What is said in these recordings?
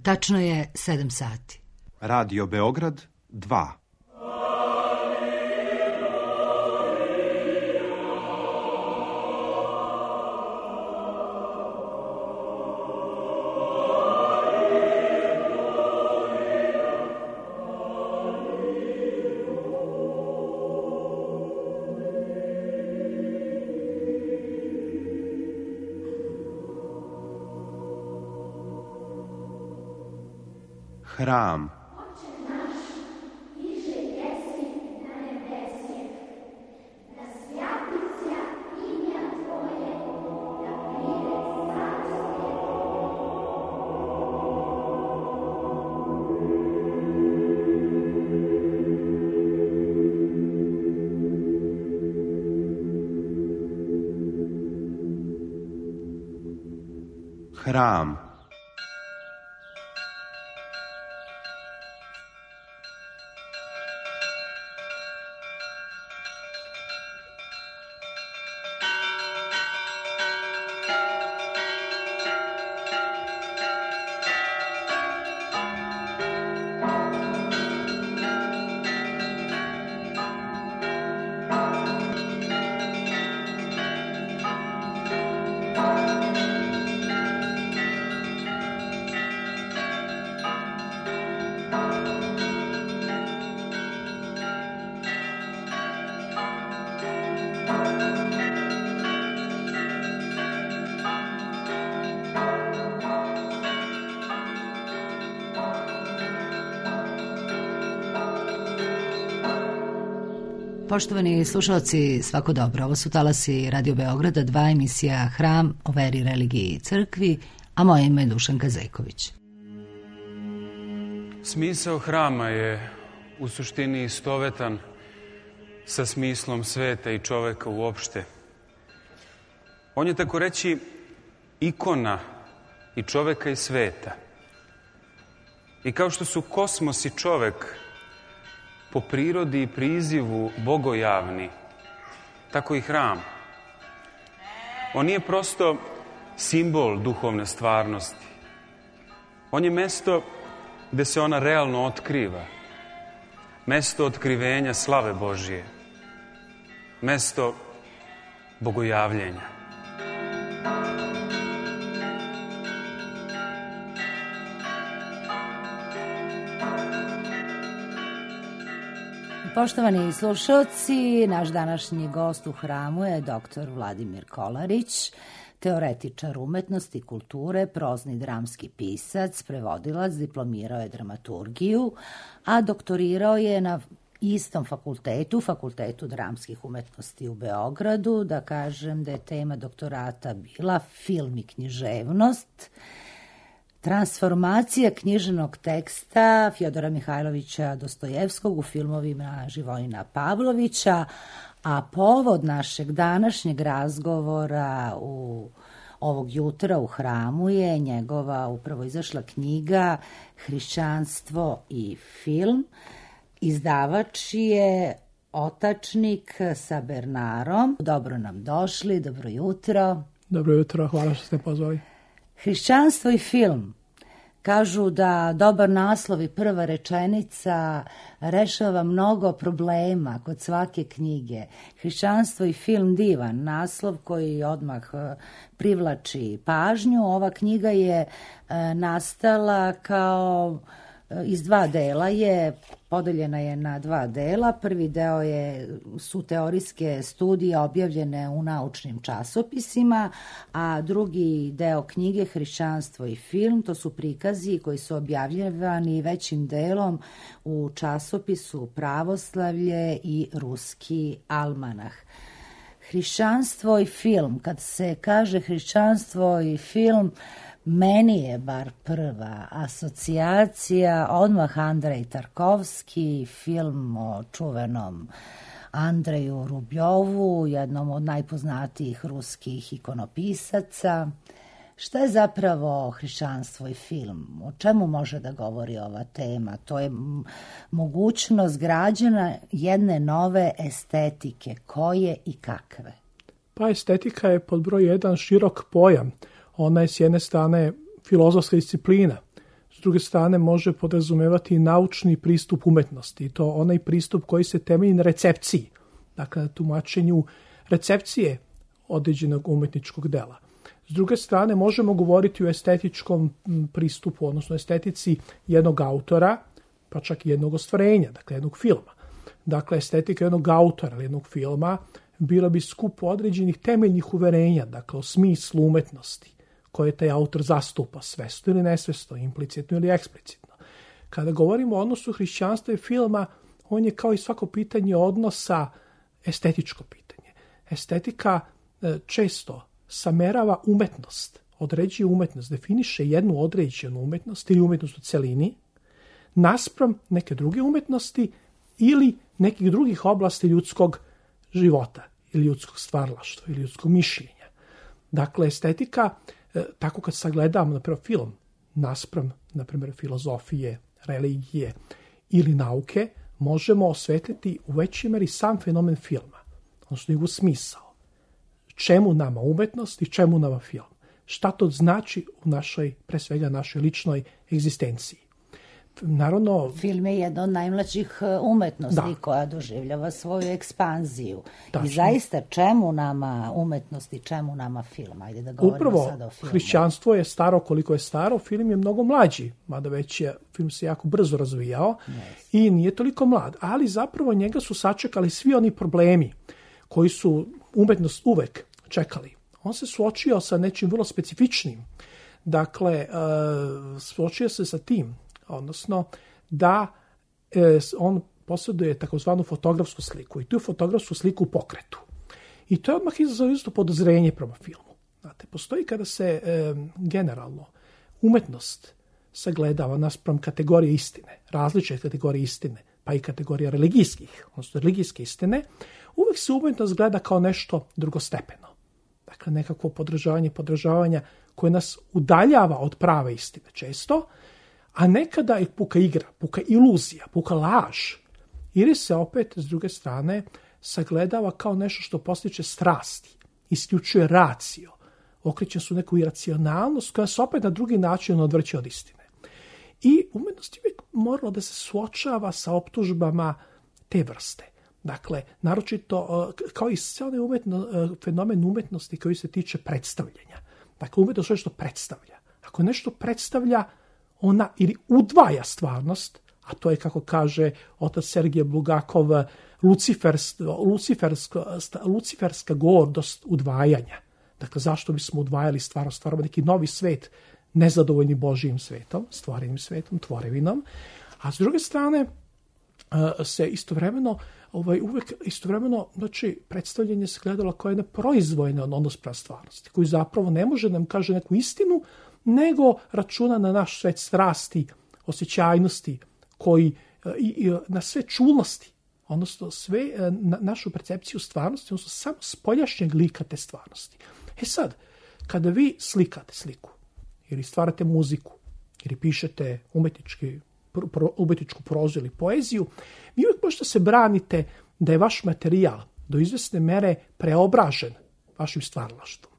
Tačno je 7 sati. Radio Beograd 2. Hram. Hram. Poštovani slušalci, svako dobro. Ovo su talasi Radio Beograda 2, emisija Hram o veri, religiji i crkvi, a moje ime je Dušanka Zejković. Smisao hrama je u suštini istovetan sa smislom sveta i čoveka uopšte. On je, tako reći, ikona i čoveka i sveta. I kao što su kosmos i čovek po prirodi i prizivu bogojavni, tako i hram. On nije prosto simbol duhovne stvarnosti. On je mesto gde se ona realno otkriva. Mesto otkrivenja slave Božije. Mesto bogojavljenja. Poštovani slušalci, naš današnji gost u hramu je dr. Vladimir Kolarić, teoretičar umetnosti i kulture, prozni dramski pisac, prevodilac, diplomirao je dramaturgiju, a doktorirao je na istom fakultetu, Fakultetu dramskih umetnosti u Beogradu. Da kažem da je tema doktorata bila film i književnost, transformacija književnog teksta Fjodora Mihajlovića Dostojevskog u filmovima Živojina Pavlovića, a povod našeg današnjeg razgovora ovog jutra u hramu je njegova upravo izašla knjiga Hrišćanstvo i film. Izdavač je Otačnik sa Bernarom. Dobro nam došli, dobro jutro. Dobro jutro, hvala što ste pozvali. Hrišćanstvo i film. Kažu da dobar naslov i prva rečenica rešava mnogo problema kod svake knjige. Hrišćanstvo i film, divan naslov koji odmah privlači pažnju. Ova knjiga je nastala kao iz 2 dela, podeljena je na 2 dela. Prvi deo su teorijske studije objavljene u naučnim časopisima, a drugi deo knjige Hrišćanstvo i film, to su prikazi koji su objavljivani većim delom u časopisu Pravoslavlje i Ruski almanah. Hrišćanstvo i film, kad se kaže hrišćanstvo i film, meni je bar prva asocijacija odmah Andrej Tarkovski, film o čuvenom Andreju Rubljovu, jednom od najpoznatijih ruskih ikonopisaca. Šta je zapravo hrišćanstvo i film? O čemu može da govori ova tema? To je mogućnost građana jedne nove estetike. Koje i kakve? Pa estetika je pod broj 1 širok pojam. Ona je s jedne strane filozofska disciplina, s s druge strane može podrazumevati naučni pristup umetnosti. I to onaj pristup koji se temelji na recepciji. Dakle, na tumačenju recepcije određenog umetničkog dela. S druge strane, možemo govoriti o estetičkom pristupu, odnosno estetici jednog autora, pa čak i jednog ostvarenja, dakle jednog filma. Dakle, estetika jednog autora ili jednog filma bila bi skup određenih temeljnih uverenja, dakle o smislu umetnosti koje taj autor zastupa, svesno ili nesvesno, implicitno ili eksplicitno. Kada govorimo o odnosu hrišćanstva i filma, on je kao i svako pitanje odnosa estetičko pitanje. Estetika često samerava umetnost, određuje umetnost, definiše jednu određenu umetnost ili umetnost u celini, naspram neke druge umetnosti ili nekih drugih oblasti ljudskog života ili ljudskog stvaralaštva ili ljudskog mišljenja. Dakle, estetika, tako kad sagledamo, na primjer, film, naspram, na primjer, filozofije, religije ili nauke, možemo osvetliti u većoj meri sam fenomen filma, odnosno njegov smisao. Čemu nama umetnost i čemu nama film? Šta to znači u našoj, pre svega našoj ličnoj egzistenciji? Naravno, film je jedna od najmlađih umetnosti koja doživljava svoju ekspanziju. Tačno. I zaista, čemu nama umetnost i čemu nama film? Ajde da govorimo sada o filmu. Hrišćanstvo je staro koliko je staro, film je mnogo mlađi, mada već je, film se jako brzo razvijao i nije toliko mlad, ali zapravo njega su sačekali svi oni problemi koji su umetnost uvek čekali. On se suočio sa nečim vrlo specifičnim. Dakle, suočio se sa tim, odnosno da on posjeduje takozvanu fotografsku sliku i tu fotografsku sliku u pokretu. I to je odmah izazvalo isto podozrenje prema filmu. Znate, postoji kada se generalno umetnost sagledava naspram kategorije istine, različite kategorije istine, pa i kategorija religijskih, odnosno religijske istine, uvek se umetnost gleda kao nešto drugostepeno. Dakle, nekakvo podržavanja koje nas udaljava od prave istine često, a nekada je puka igra, puka iluzija, puka laž. Ili se opet, s druge strane, sagledava kao nešto što postiče strasti, isključuje racio, okreće su neku iracionalnost koja se opet na drugi način odvrće od istine. I umetnost je uvijek morala da se suočava sa optužbama te vrste. Dakle, naročito, kao i sve onaj fenomen umetnosti koji se tiče predstavljanja. Dakle, umetnost je što predstavlja. Ako nešto predstavlja, ona ili udvaja stvarnost, a to je, kako kaže otac Sergije Bulgakov, luciferska gordost udvajanja. Dakle, zašto bismo udvajali stvarnost? Stvaramo neki novi svet, nezadovoljni Božijim svetom, stvorenim svetom, tvorevinom, a s druge strane se istovremeno znači, predstavljanje se gledalo kao jedna proizvojna odnos prema stvarnosti, koji zapravo ne može nam kaže neku istinu, nego računa na naš svet strasti, osjećajnosti, koji i na sve čulnosti, odnosno sve na našu percepciju stvarnosti, odnosno samo spoljašnjeg lika te stvarnosti. E sad, kada vi slikate sliku, ili stvarate muziku, ili pišete umetničku prozu ili poeziju, vi uvijek možete se branite da je vaš materijal do izvesne mere preobražen vašim stvaralaštvom.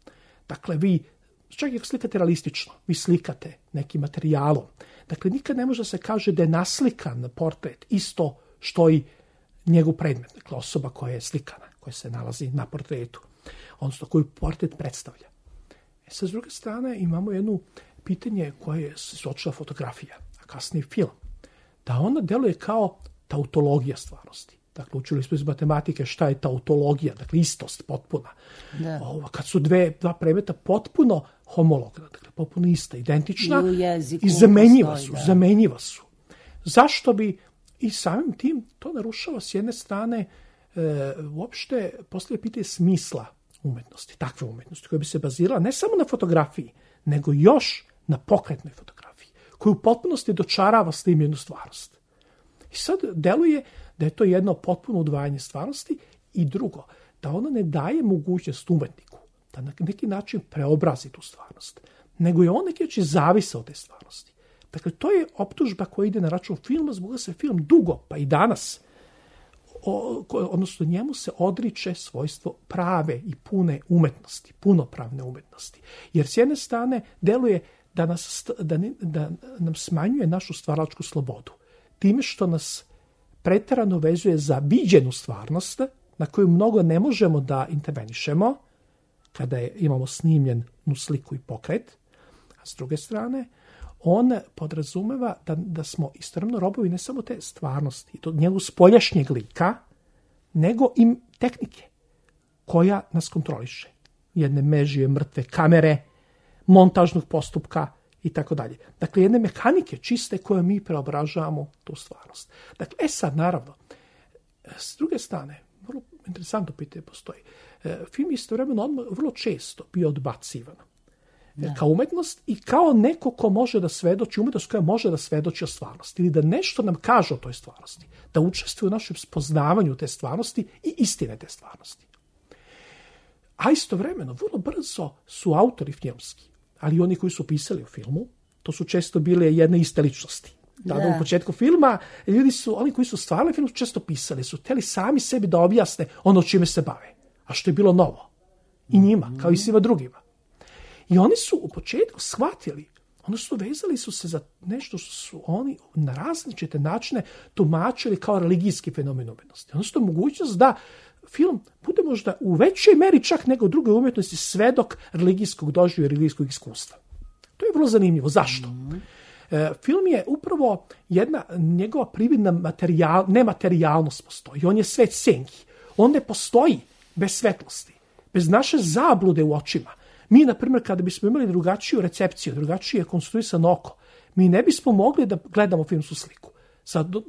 Dakle, vi čak i ako slikate realistično, vi slikate nekim materijalom. Dakle, nikad ne može da se kaže da je naslikan portret isto što i njegov predmet. Dakle, osoba koja je slikana, koja se nalazi na portretu, odnosno koju portret predstavlja. Sa druge strane, imamo jedno pitanje koje se suočila fotografija, a kasnije film. Da ona deluje kao tautologija stvarnosti. Dakle, učili smo iz matematike šta je tautologija, dakle istost potpuna. Kad su dva predmeta potpuno homologna, dakle potpuno ista, identična i zamenjiva su. Zašto bi i samim tim to narušava s jedne strane uopšte postavlja pitanje smisla umetnosti, takve umetnosti koja bi se bazirala ne samo na fotografiji, nego još na pokretnoj fotografiji, koju u potpunosti dočarava snimljenu stvarnost. I sad deluje da je to jedno potpuno udvajanje stvarnosti i drugo, da ona ne daje mogućnost umetniku da na neki način preobrazi tu stvarnost, nego je on neki način zavisa od te stvarnosti. Dakle, to je optužba koja ide na račun filma, zbog da se film dugo, pa i danas, odnosno njemu se odriče svojstvo prave i pune umetnosti, punopravne umetnosti. Jer s jedne strane deluje da nam smanjuje našu stvaralačku slobodu. Time što nas pretjerano vezuje za viđenu stvarnost, na koju mnogo ne možemo da intervenišemo, kada imamo snimljenu sliku i pokret, a s druge strane, on podrazumeva da smo istovremeno robovi ne samo te stvarnosti, to njegovog spoljašnjeg lika, nego i tehnike koja nas kontroliše. Jedne mežije, mrtve kamere, montažnog postupka i tako dalje. Dakle, jedne mehanike čiste koje mi preobražavamo tu stvarnost. Dakle, sad, naravno, s druge strane, vrlo interesantno pitanje postoji. Film istovremeno vrlo često bio odbacivan kao umetnost i kao neko ko može da svedoči, umetnost koja može da svedoči o stvarnosti ili da nešto nam kaže o toj stvarnosti, da učestvuje u našem spoznavanju te stvarnosti i istine te stvarnosti. A istovremeno, vrlo brzo su autori filmski, ali i oni koji su pisali o filmu, to su često bile jedne iste ličnosti. Tada u početku filma, oni koji su stvarali film, često pisali, su hteli sami sebi da objasne ono čime se bave, a što je bilo novo. I njima, kao i svima drugima. I oni su u početku shvatili, odnosno vezali su se za nešto što su oni na različite načine tumačili kao religijski fenomen umetnosti. Odnosno mogućnost da film bude možda u većoj meri čak nego u drugoj umjetnosti svedok religijskog doživljaja, religijskog iskustva. To je vrlo zanimljivo. Zašto? Film je upravo jedna njegova prividna nematerijalnost postoji. On je svet senki. On ne postoji bez svetlosti, bez naše zablude u očima. Mi, na primjer, kada bismo imali drugačiju recepciju, drugačije konstruisano oko, mi ne bismo mogli da gledamo filmsku sliku.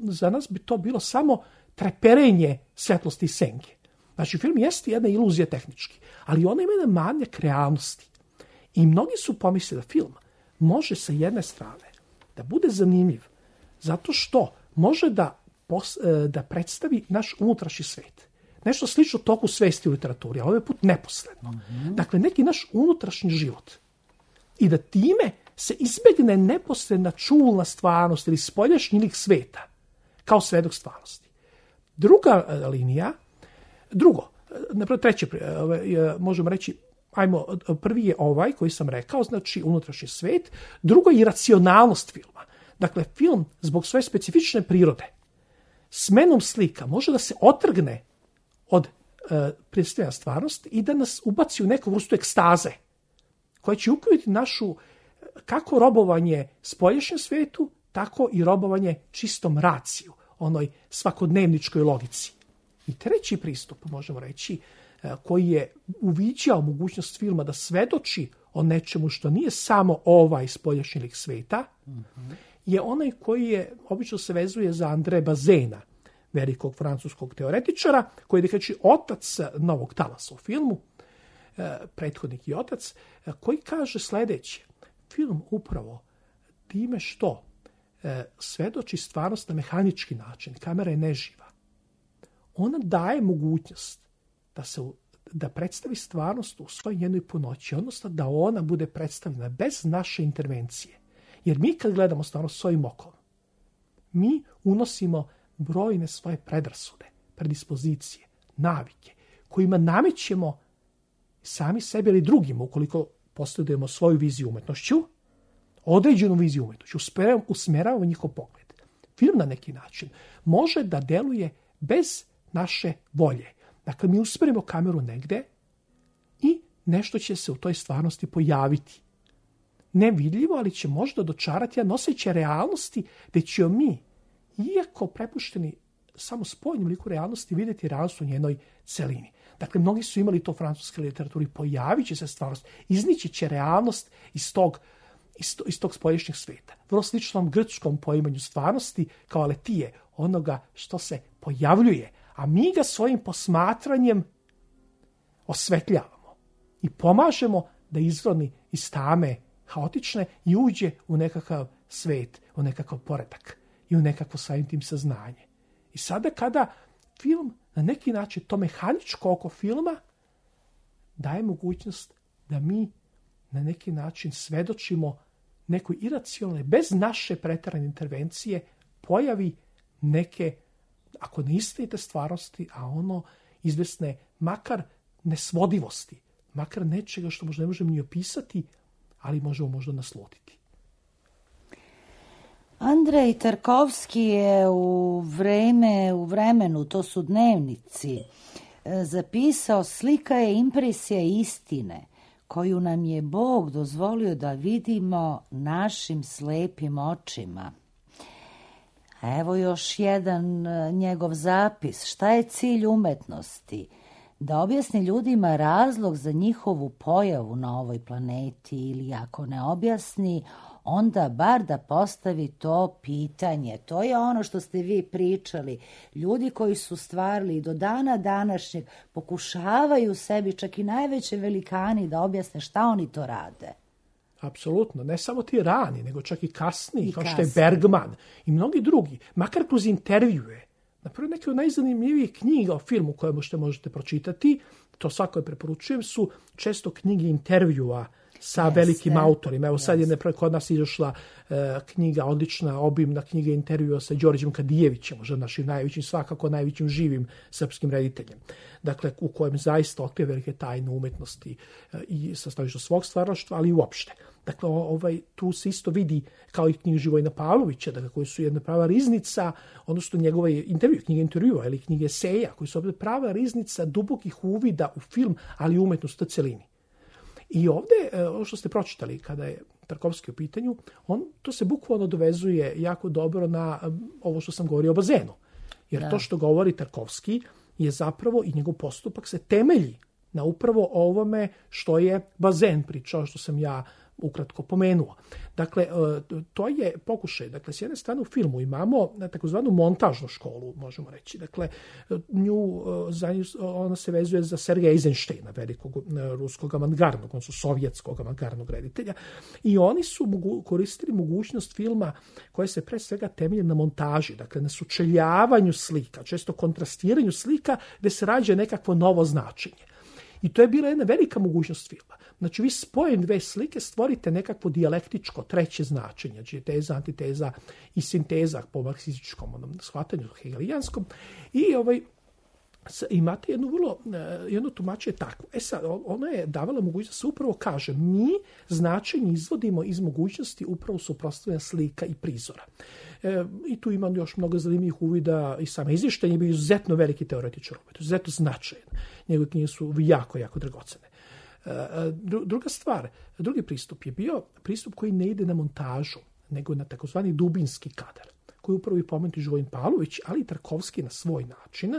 Za nas bi to bilo samo treperenje svetlosti i senke. Znači, film jeste jedna iluzija tehnički, ali ona ima jedan manjak realnosti. I mnogi su pomislili da film može sa jedne strane da bude zanimljiv, zato što može da predstavi naš unutrašnji svet. Nešto slično toku svesti u literaturi, a ovaj put neposredno. Dakle, neki naš unutrašnji život. I da time se izbegne neposredna čulna stvarnost ili spoljašnji lik sveta, kao svedok stvarnosti. Treće, možemo reći, prvi je ovaj koji sam rekao, znači unutrašnji svet, drugo je iracionalnost filma. Dakle, film zbog svoje specifične prirode, smenom slika, može da se otrgne od predstavljanja stvarnosti i da nas ubaci u neku vrstu ekstaze, koja će uključiti našu kako robovanje spoljašnjem svetu, tako i robovanje čistom raciju, onoj svakodnevničkoj logici. I treći pristup, možemo reći, koji je uviđao mogućnost filma da svedoči o nečemu što nije samo ovaj spoljašnji lik sveta, je onaj koji je, obično se vezuje za André Bazena, velikog francuskog teoretičara, koji je znači otac novog talasa u filmu, prethodnik i otac, koji kaže sljedeće: film upravo time što svedoči stvarnost na mehanički način, kamera je neživa, ona daje mogućnost da predstavi stvarnost u svojoj njenoj punoći, odnosno da ona bude predstavljena bez naše intervencije. Jer mi kad gledamo stvarnost svojim okom, mi unosimo brojne svoje predrasude, predispozicije, navike, kojima namećemo sami sebi ili drugima, ukoliko posjedujemo svoju viziju umetnošću, određenu viziju umetnošću, usmeravamo njihov pogled. Film na neki način može da deluje bez naše volje. Dakle, mi usmerimo kameru negde i nešto će se u toj stvarnosti pojaviti. Nevidljivo, ali će možda dočarati, a noseće realnosti, gdje ćemo mi, iako prepušteni samo spoljnom liku realnosti, vidjeti realnost u njenoj celini. Dakle, mnogi su imali to u francuskoj literaturi, pojavit će se stvarnost, iznići će realnost iz tog spoljašnjeg sveta. Vrlo sličnom grčkom poimanju stvarnosti kao aletije, onoga što se pojavljuje, a mi ga svojim posmatranjem osvetljavamo i pomažemo da izroni iz tame haotične i uđe u nekakav svet, u nekakav poredak i u nekakvo samim tim saznanje. I sada kada film na neki način, to mehaničko oko filma daje mogućnost da mi na neki način svedočimo nekoj iracionalnoj, bez naše pretjerane intervencije, pojavi neke, ako ne istinite stvarnosti, a ono izvesne makar nesvodivosti, makar nečega što možda ne možemo ni opisati, ali možemo možda naslutiti. Andrej Tarkovski je u vremenu, to su dnevnici, zapisao: slika je impresija istine koju nam je Bog dozvolio da vidimo našim slepim očima. Evo još jedan njegov zapis. Šta je cilj umetnosti? Da objasni ljudima razlog za njihovu pojavu na ovoj planeti, ili ako ne objasni, onda bar da postavi to pitanje. To je ono što ste vi pričali. Ljudi koji su stvarali do dana današnjeg pokušavaju sebi, čak i najveće velikani, da objasne šta oni to rade. Apsolutno, ne samo ti rani, nego čak i kasniji, kao što je Bergman i mnogi drugi, makar kroz intervjue. Napravo, neke od najzanimljivijih knjiga o filmu koje možete pročitati, to svakoj preporučujem, su često knjige intervjua sa velikim autorima. Evo sad je kod nas izašla knjiga, odlična, obimna knjiga intervjua sa Đorđem Kadijevićem, možda našim najvećim, svakako najvećim živim srpskim rediteljem. Dakle, u kojem zaista otkriva velike tajne umetnosti i sa stanovišta svog stvaralaštva, ali i uopšte. Dakle, tu se isto vidi, kao i knjiga Živojina Pavlovića, dakle, koji su jedna prava riznica, odnosno njegove knjige intervjua ili knjige eseja, koji su ovdje prava riznica dubokih uvida u film, ali i umetnost u celini. I ovdje, ono što ste pročitali kada je Tarkovski u pitanju, to se bukvalno dovezuje jako dobro na ovo što sam govorio o bazenu. Jer to što govori Tarkovski je zapravo, i njegov postupak se temelji na upravo ovome što je bazen pričao, što sam ja ukratko pomenuo. Dakle, to je pokušaj. Dakle, s jedne strane u filmu imamo takozvanu montažnu školu, možemo reći. Dakle, ona se vezuje za Sergeja Eisensteina, velikog ruskog avangardnog, odnosno sovjetskog avangardnog reditelja. I oni su koristili mogućnost filma koja se pre svega temelji na montaži, dakle, na sučeljavanju slika, često kontrastiranju slika, gde se rađa nekakvo novo značenje. I to je bila jedna velika mogućnost filma. Znači, vi spojem dve slike stvorite nekakvo dijalektičko treće značenje, znači teza, antiteza i sinteza po marksističkom shvatanju hegelijanskom. I imate jedno tumačenje takvo. Sad, ono je davala mogućnost da se upravo kaže, mi značenje izvodimo iz mogućnosti upravo suprotstavljanja slika i prizora. I tu imam još mnogo zanimljivih uvida i sam Eisenstein je bio izuzetno veliki teoretičar, izuzetno značajan. Njegove knjige su jako, jako dragocene. Druga stvar, drugi pristup je bio pristup koji ne ide na montažu, nego na takozvani dubinski kadar, koji upravo i pomenuti Živojin Pavlović, ali i Tarkovski na svoj način,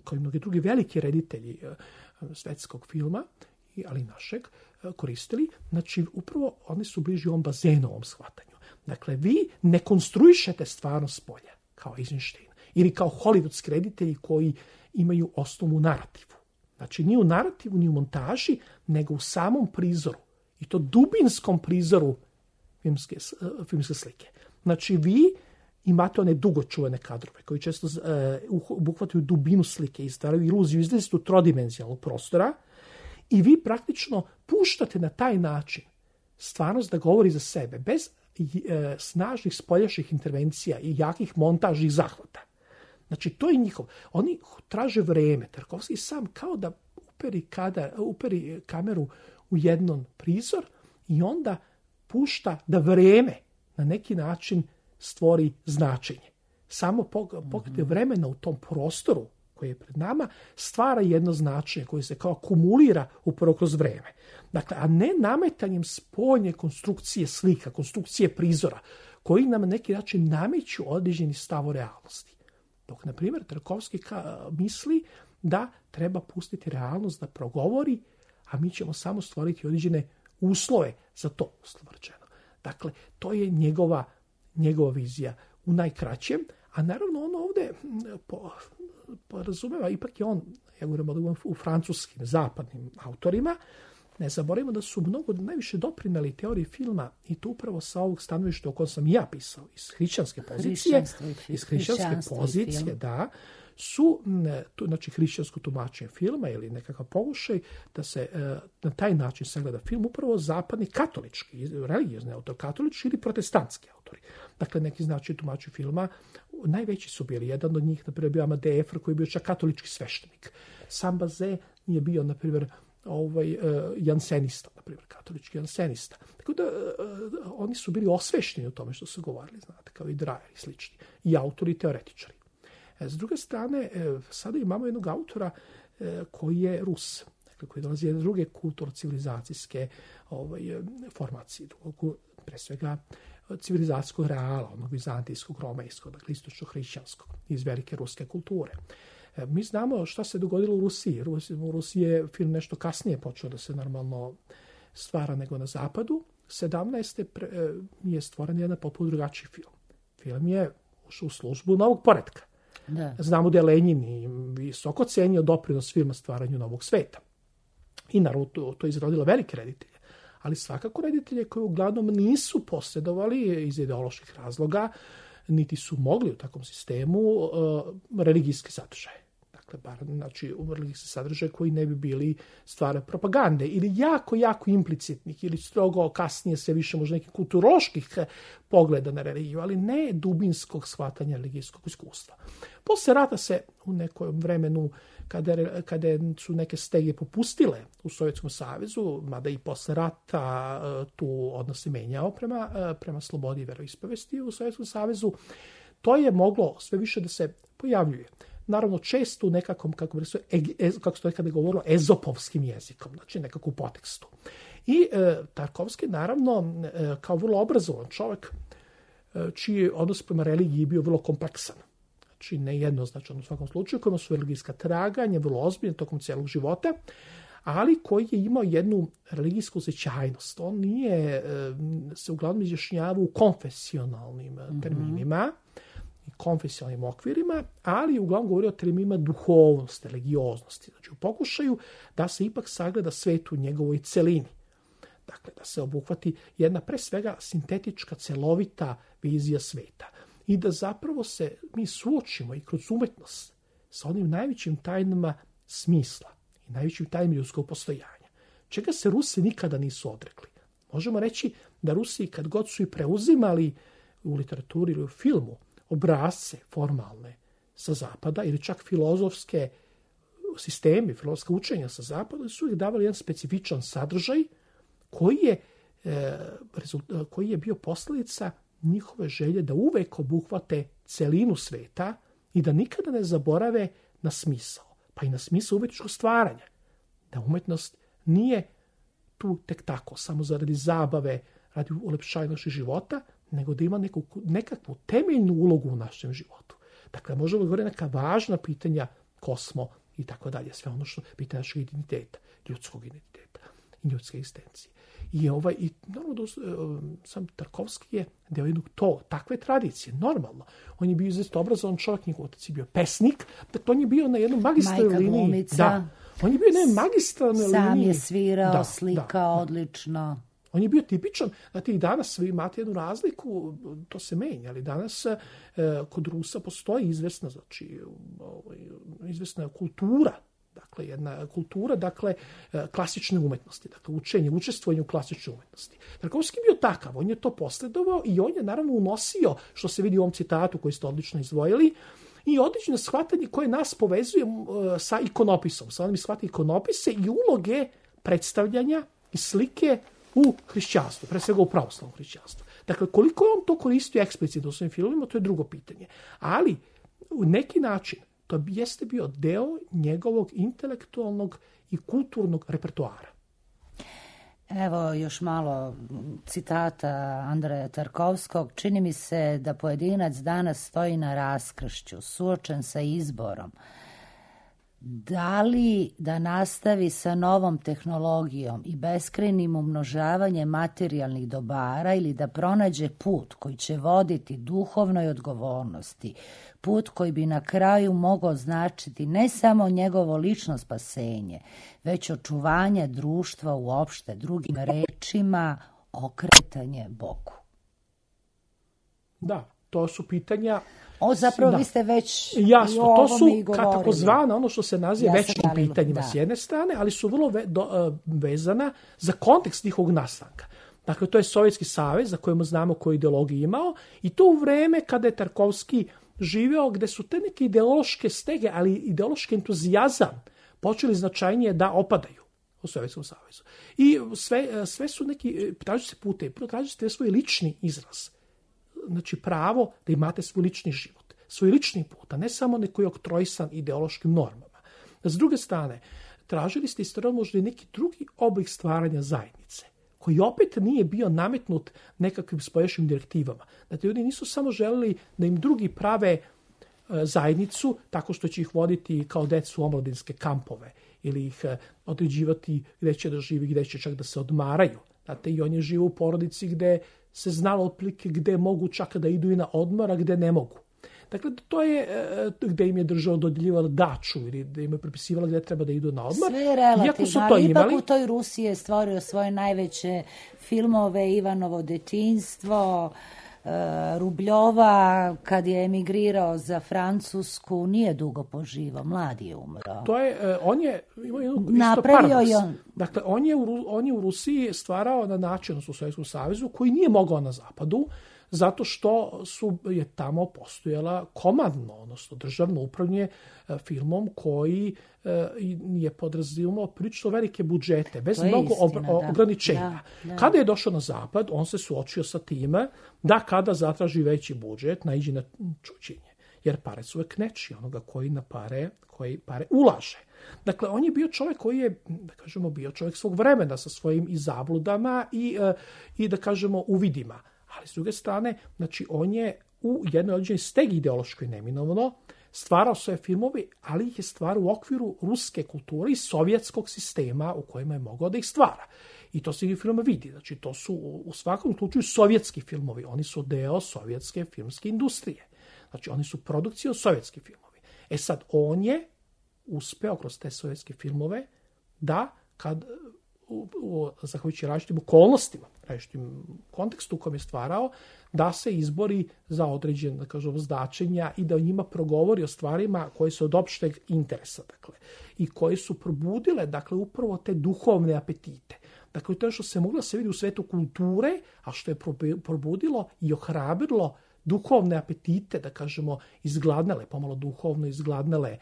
kao i mnogi drugi veliki reditelji svetskog filma, ali i našeg, koristili. Znači, upravo oni su bliži ovom bazenovom shvatanju. Dakle, vi ne konstruišete stvarnost s polja, kao Eisenstein, ili kao hollywoodski reditelji koji imaju osnovu narativu. Znači, ni u narativu, ni u montaži, nego u samom prizoru. I to dubinskom prizoru filmske slike. Znači, vi imate one dugočuvene kadrove koji često obuhvataju dubinu slike i stvaraju iluziju izlazistu trodimenzionalnog prostora i vi praktično puštate na taj način stvarnost da govori za sebe, bez snažnih spoljašnjih intervencija i jakih montažnih zahvata. Znači, to je njihov. Oni traže vreme. Tarkovski sam kao da uperi kameru u jedan prizor i onda pušta da vreme na neki način stvori značenje. Samo pokret vremena u tom prostoru koji je pred nama stvara jedno značenje koje se kao akumulira upravo kroz vreme. Dakle, a ne nametanjem spoljne konstrukcije slika, konstrukcije prizora, koji nam na neki način nameću određeni stav o realnosti. Dok, na primjer, Tarkovski misli da treba pustiti realnost da progovori, a mi ćemo samo stvoriti određene uslove za to, uslovno rečeno. Dakle, to je njegova vizija u najkraćem, a naravno on ovdje porazumeva, ipak je on, ja govorim u francuskim, zapadnim autorima, ne zaboravimo da su mnogo najviše doprinali teoriji filma i to upravo sa ovog stanovišta o kojem sam ja pisao, iz hrišćanske pozicije, da, su, znači, hrišćansko tumačenje filma ili nekakav pokušaj da se na taj način sagleda film upravo zapadni katolički, religiozni autor, katolički ili protestantski autori. Dakle, neki znači tumači filma, najveći su bili. Jedan od njih, na primjer, bio Amadej Efr, koji je bio čak katolički sveštenik. Sam Bazin je bio, na primjer, jansenista, na primjer, katolički jansenista. Tako da oni su bili osvešteni u tome što su govorili, znate, kao i Dreyer i slični, i autori i teoretičari. S druge strane, sada imamo jednog autora koji je Rus, dakle, koji dolazi iz druge kulturno-civilizacijske formacije, pre svega civilizacijskog reala, onog vizantijskog, romejskog, dakle istočno-hrišćanskog, iz velike ruske kulture. Mi znamo šta se dogodilo u Rusiji. U Rusiji je film nešto kasnije počeo da se normalno stvara nego na zapadu. 17. je stvoren jedan potpuno drugačiji film. Film je ušao u službu novog poretka. Da. Znamo da je Lenin visoko cenio doprinos filma stvaranju novog sveta. I naravno to izrodilo velike reditelje. Ali svakako reditelje koji uglavnom nisu posjedovali iz ideoloških razloga, niti su mogli u takvom sistemu religijski sadržaj. Dakle, znači religijski sadržaj koji ne bi bili stvar propagande ili jako, jako implicitnih ili strogo kasnije sve više možda nekih kulturoloških pogleda na religiju, ali ne dubinskog shvatanja religijskog iskustva. Posle rata se u nekom vremenu kada su neke stege popustile u Sovjetskom savezu, mada i posle rata tu odnos se menjao prema slobodi i veroispovesti u Sovjetskom savezu, to je moglo sve više da se pojavljuje. Naravno, često u nekakvom, kako se to nekada govorilo, ezopovskim jezikom, znači nekako u potekstu. I Tarkovski, naravno, kao vrlo obrazovan čovjek, čiji odnos prema religiji bio vrlo kompleksan. Znači, nejednoznačan u svakom slučaju, kojima su religijska traganja, vrlo ozbiljna tokom cijelog života, ali koji je imao jednu religijsku osjećajnost. On nije se uglavnom izjašnjavao u konfesionalnim terminima, konfesionalnim okvirima, ali uglavnom govori o terminima duhovnosti, religioznosti. Znači, u pokušaju da se ipak sagleda svet u njegovoj celini. Dakle, da se obuhvati jedna pre svega sintetička, celovita vizija sveta. I da zapravo se mi suočimo i kroz umetnost sa onim najvećim tajnama smisla i najvećim tajnama ljudskog postojanja. Čega se Rusi nikada nisu odrekli. Možemo reći da Rusi, kad god su i preuzimali u literaturi ili u filmu obrazce formalne sa zapada ili čak filozofske sisteme, filozofska učenja sa zapada, su ih davali jedan specifičan sadržaj koji je bio posljedica njihove želje da uvek obuhvate celinu sveta i da nikada ne zaborave na smisao, pa i na smisao umetničkog stvaranja. Da umetnost nije tu tek tako, samo zaradi zabave, radi ulepšanja našeg života, nego da ima nekakvu temeljnu ulogu u našem životu. Dakle, možemo govoriti neka važna pitanja ko smo i tako dalje. Sve ono što pitanje našeg identiteta, ljudskog identiteta i ljudske egzistencije. I normalno, sam Tarkovski je deo jednog takve tradicije, normalno. On je bio izuzetno obrazovan čovjek, njegov otac je bio pesnik, dakle on je bio na jednom magistralnoj liniji. Majka glumica. Da. On je bio na jednoj magistralnoj liniji. Sam je svirao, slikao, odlično. On je bio tipičan, znate, i danas vi imate jednu razliku, to se menja, ali danas kod Rusa postoji izvesna kultura, dakle jedna kultura, klasične umetnosti, dakle učestvovanje u klasičnoj umetnosti. Tarkovski je bio takav, on je to posledovao i on je naravno unosio, što se vidi u ovom citatu koji ste odlično izdvojili, i odlično shvatanje koje nas povezuje sa ikonopisom, sa onim shvatanje ikonopise i uloge predstavljanja i slike u hrišćanstvu, pre svega u pravoslavnom hrišćanstvu. Dakle, koliko je on to koristio eksplicitno u svojim filmima, to je drugo pitanje. Ali, u neki način, to jeste bio deo njegovog intelektualnog i kulturnog repertoara. Evo još malo citata Andreja Tarkovskog. Čini mi se da pojedinac danas stoji na raskršću, suočen sa izborom. Da li da nastavi sa novom tehnologijom i beskrajnim umnožavanjem materijalnih dobara ili da pronađe put koji će voditi duhovnoj odgovornosti, put koji bi na kraju mogao značiti ne samo njegovo lično spasenje, već očuvanje društva uopšte, drugim rečima, okretanje Bogu. Da, to su pitanja... Zapravo vi ste već jasno, to su takozvana, ono što se naziva večnim pitanjima s jedne strane, ali su vrlo vezana za kontekst njihovog nastanka. Dakle, to je Sovjetski savez, za kojemu znamo koju ideologiju imao, i to u vreme kada je Tarkovski živeo, gde su te neke ideološke stege, ali ideološki entuzijazam počeli značajnije da opadaju. u Sovjetskom savezu. I sve su neki, traži se putevi, prvo traži se svoj lični izraz. Znači pravo da imate svoj lični život, svoj lični put, a ne samo neko je oktroisan ideološkim normama. S druge strane, tražili ste isto možda i neki drugi oblik stvaranja zajednice, koji opet nije bio nametnut nekakvim spoljašnjim direktivama. Znači, ljudi nisu samo želeli da im drugi prave zajednicu tako što će ih voditi kao decu u omladinske kampove ili ih određivati gde će da živi, gde će čak da se odmaraju. Znate, i oni žive u porodici gde se znalo otprilike gde mogu čak da idu i na odmor, a gde ne mogu. Dakle, to je gde im je država dodjeljivala daču ili da im je prepisivala gde treba da idu na odmor. Sve je relativno, ali ipak u toj Rusiji je stvorio svoje najveće filmove, Ivanovo detinjstvo, Rubljova, kad je emigrirao za Francusku, nije dugo poživao, mlad je umro. To je, on je imao jednu isto paradoks. Dakle, on je u Rusiji stvarao na način u Sovjetskom savezu koji nije mogao na zapadu, zato što je tamo postojala komandno, odnosno državno upravljanje filmom koji je podrazumevao prilično velike budžete, bez mnogo ograničenja. Da. Kada je došao na zapad, on se suočio sa time da kada zatraži veći budžet, naiđe na čuđenje. Jer pare su uvek nečiji, onoga koji pare ulaže. Dakle, on je bio čovjek koji je, da kažemo, bio čovjek svog vremena sa svojim i zabludama i da kažemo, uvidima. Ali s druge strane, znači on je u jednoj određenoj stegi ideološkoj neminovno stvarao svoje filmove, ali ih je stvarao u okviru ruske kulture i sovjetskog sistema u kojima je mogao da ih stvara. I to se i u filmu vidi. Znači, to su u svakom slučaju sovjetski filmovi. Oni su deo sovjetske filmske industrije. Znači, oni su produkcija sovjetski filmovi. E sad, on je uspeo kroz te sovjetske filmove da zahvaljujući različitim okolnostima, različitim kontekstu u kojem je stvarao, da se izbori za određen, da kažem, značenja i da o njima progovori o stvarima koje su od opšteg interesa, dakle, i koje su probudile, dakle, upravo te duhovne apetite. Dakle, to je što se moglo da se vidi u svetu kulture, a što je probudilo i ohrabrilo duhovne apetite, da kažemo, izgladnele, pomalo duhovno izgladnele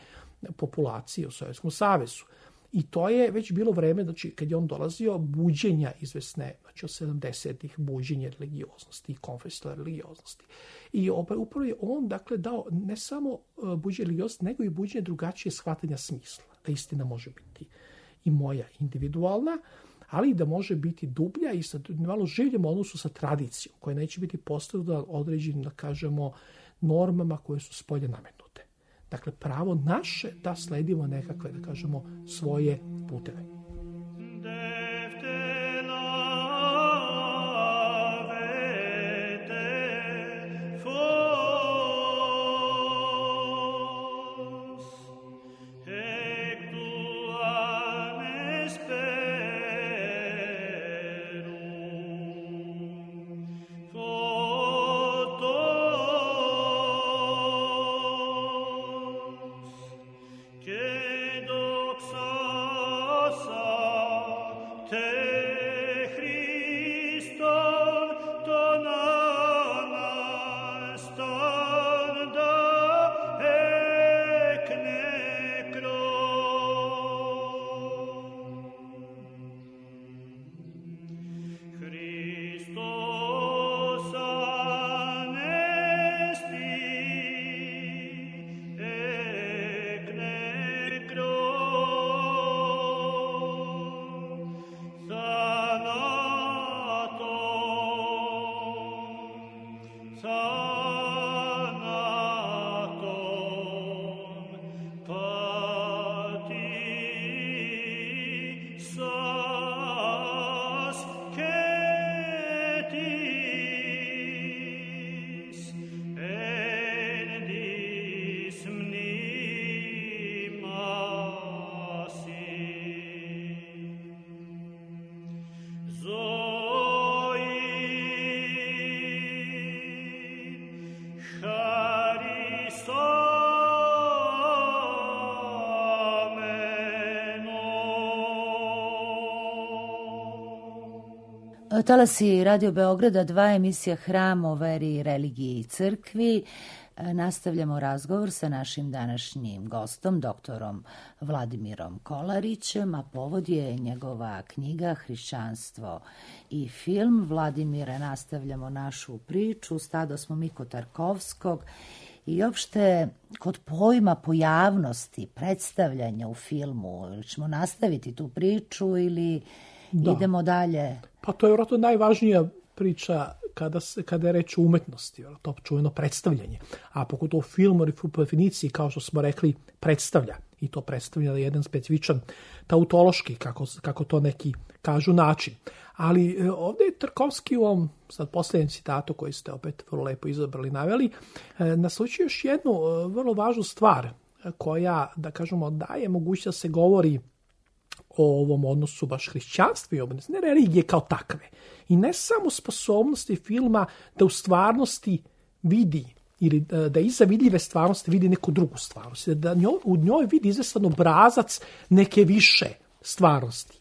populacije u Sovjetskom savezu. I to je već bilo vreme, znači, kad je on dolazio, buđenja izvesne, znači od 70-ih, buđenje religioznosti i konfesionalne religioznosti. I upravo je on, dakle, dao ne samo buđenje religioznosti, nego i buđenje drugačije shvatanja smisla. Da istina može biti i moja individualna, ali i da može biti dublja i sa malo življem odnosu sa tradicijom, koja neće biti postavljena određenim, da kažemo, normama koje su spolje nametnute. Dakle, pravo naše da sledimo nekakve, da kažemo, svoje puteve. Talasi Radio Beograda, 2 emisija Hram o veri, religiji i crkvi. Nastavljamo razgovor sa našim današnjim gostom, doktorom Vladimirom Kolarićem, a povod je njegova knjiga Hrišćanstvo i film. Vladimire, nastavljamo našu priču, stado smo Miko Tarkovskog i uopšte kod pojma pojavnosti, predstavljanja u filmu, ćemo nastaviti tu priču ili idemo dalje? Pa to je vjerojatno najvažnija priča kada je reč o umetnosti, to čuveno predstavljanje. A pogotovo film u definiciji, kao što smo rekli, predstavlja. I to predstavlja na jedan specifičan tautološki, kako to neki kažu, način. Ali ovdje je Tarkovski u ovom sad posljednjem citatu koji ste opet vrlo lepo izabrali, naveli, naslučio još jednu vrlo važnu stvar koja, da kažemo, daje mogućnost da se govori o ovom odnosu baš hrišćanstva i obrednosti, ne religije kao takve. I ne samo sposobnosti filma da u stvarnosti vidi ili da iza vidljive stvarnosti vidi neku drugu stvarnost, da u njoj vidi izvestan obrazac neke više stvarnosti,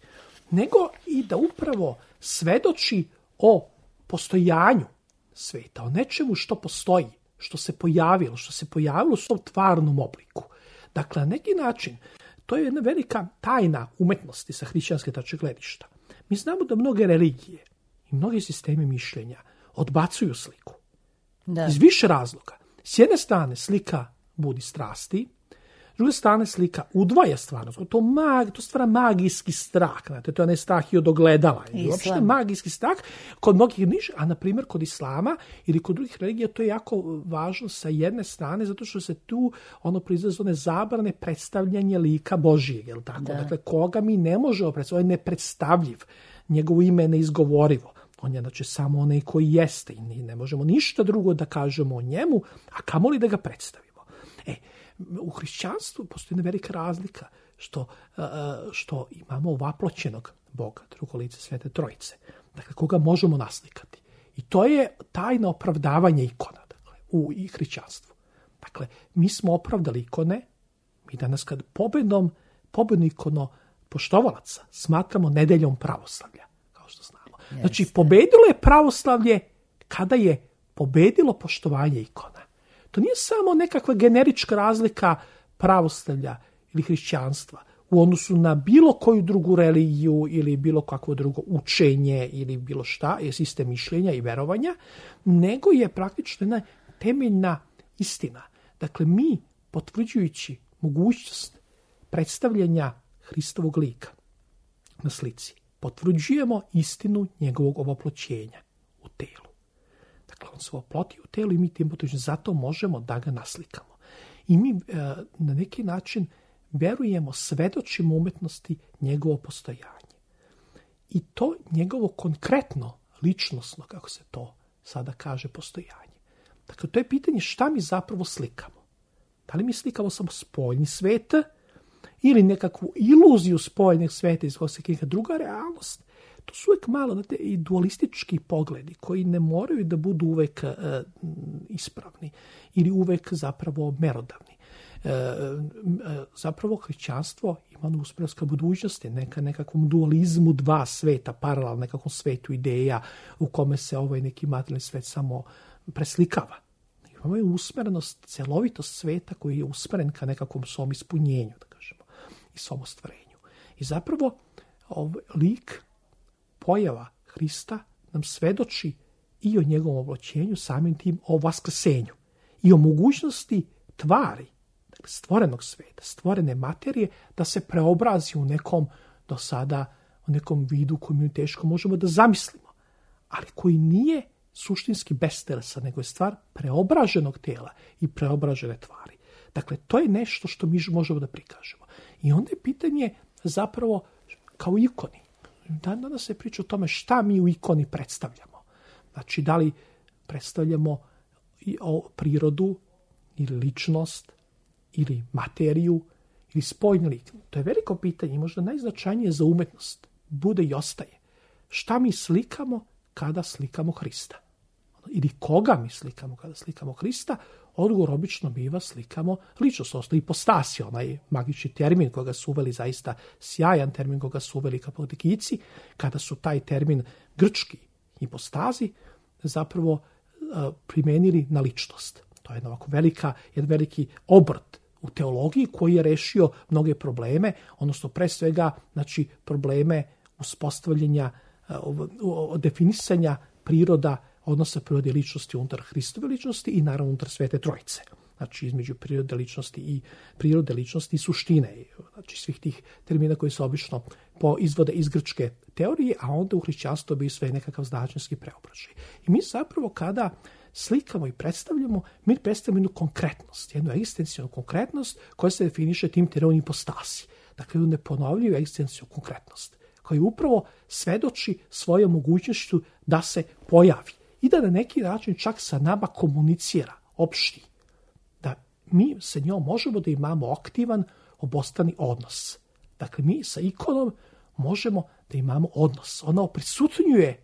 nego i da upravo svedoči o postojanju sveta, o nečemu što postoji, što se pojavilo u svom tvarnom obliku. Dakle, na neki način, to je jedna velika tajna umetnosti sa hrišćanske tačke gledišta. Mi znamo da mnoge religije i mnogi sistemi mišljenja odbacuju sliku. Iz više razloga. S jedne strane slika budi strasti, s druge strane slika udvaja stvarnost. To stvara magijski strah. Znate, to je ne strah i od ogledala. Uopšte magijski strah kod mnogih nižih, a na primjer kod islama ili kod drugih religija to je jako važno sa jedne strane, zato što se tu proizlaze one zabrane predstavljanje lika Božijeg. Jel tako? Dakle, koga mi ne možemo predstaviti, on je nepredstavljiv. Njegovo ime je neizgovorivo. On je znači samo onaj koji jeste i ne možemo ništa drugo da kažemo o njemu, a kamoli da ga predstavimo. U hrišćanstvu postoji jedna velika razlika što imamo ovaploćenog Boga, drugo lice Svete Trojice, dakle koga možemo naslikati. I to je tajno opravdavanje ikona, dakle, u hrišćanstvu. Dakle, mi smo opravdali ikone, mi danas kad pobedno ikono poštovalaca smatramo nedeljom pravoslavlja, kao što znamo. Znači, pobedilo je pravoslavlje kada je pobedilo poštovanje ikona. To nije samo nekakva generička razlika pravoslavlja ili hrišćanstva u odnosu na bilo koju drugu religiju ili bilo kakvo drugo učenje ili bilo šta, je sistem mišljenja i verovanja, nego je praktično jedna temeljna istina. Dakle, mi, potvrđujući mogućnost predstavljanja Hristovog lika na slici, potvrđujemo istinu njegovog ovoploćenja u telu. Dakle, on se oploti u telu i mi tim potvrđujemo, zato možemo da ga naslikamo. I mi na neki način verujemo, svedočimo umetnosti njegovo postojanje. I to njegovo konkretno, ličnosno, kako se to sada kaže, postojanje. Dakle, to je pitanje šta mi zapravo slikamo. Da li mi slikamo samo spoljni svet ili nekakvu iluziju spoljnog sveta iz kojeg se neka druga realnost. To su uvek malo i dualistički pogledi koji ne moraju da budu uvek ispravni ili uvek zapravo merodavni. Zapravo hrišćanstvo ima uspravska budućnosti, nekakvom dualizmu dva sveta, paralelno nekakvom svetu ideja u kome se ovaj neki materijalni svet samo preslikava. Imamo je usmerenost, celovitost sveta koji je usmeren ka nekakvom svom ispunjenju, da kažemo, i svom ostvarenju. I zapravo lik, pojava Hrista nam svedoči i o njegovom oblačenju, samim tim o vaskrsenju i o mogućnosti tvari, dakle stvorenog sveta, stvorene materije, da se preobrazi u nekom do sada, u nekom vidu koji mi teško možemo da zamislimo, ali koji nije suštinski bez telesa, nego je stvar preobraženog tela i preobražene tvari. Dakle, to je nešto što mi možemo da prikažemo. I onda je pitanje zapravo kao ikoni. Danas se priča o tome šta mi u ikoni predstavljamo. Znači, da li predstavljamo prirodu ili ličnost ili materiju ili spoljni lik. To je veliko pitanje i možda najznačajnije za umetnost bude i ostaje. Šta mi slikamo kada slikamo Hrista? Ili koga mi slikamo kada slikamo Hrista? Odgovor obično biva slikamo ličnost, odnosno ipostasi, onaj magični termin koga su uveli, zaista sjajan termin koga su uveli katolikici, kada su taj termin grčki ipostazi zapravo primenili na ličnost. To je jedan veliki obrt u teologiji koji je rešio mnoge probleme, odnosno pre svega znači, probleme uspostavljanja, definisanja priroda, odnosa prirode ličnosti unutar Hristove ličnosti i naravno unutar Svete Trojice. Znači između prirode ličnosti i suštine, znači svih tih termina koji se obično izvode iz grčke teorije, a onda u hrišćanstvu bi sve nekakav značenjski preobražaj. I mi zapravo kada slikamo i predstavljamo, mi predstavljamo jednu konkretnost, jednu egzistencijalnu konkretnost koja se definiše tim terminom ipostasi. Dakle, jednu neponovljivu egzistencijalnu konkretnost koja upravo svedoči svojom mogućnošću da se pojavi i da na neki način čak sa nama komunicira, opšti. Da mi sa njom možemo da imamo aktivan obostrani odnos. Dakle, mi sa ikonom možemo da imamo odnos. Ona oprisutnjuje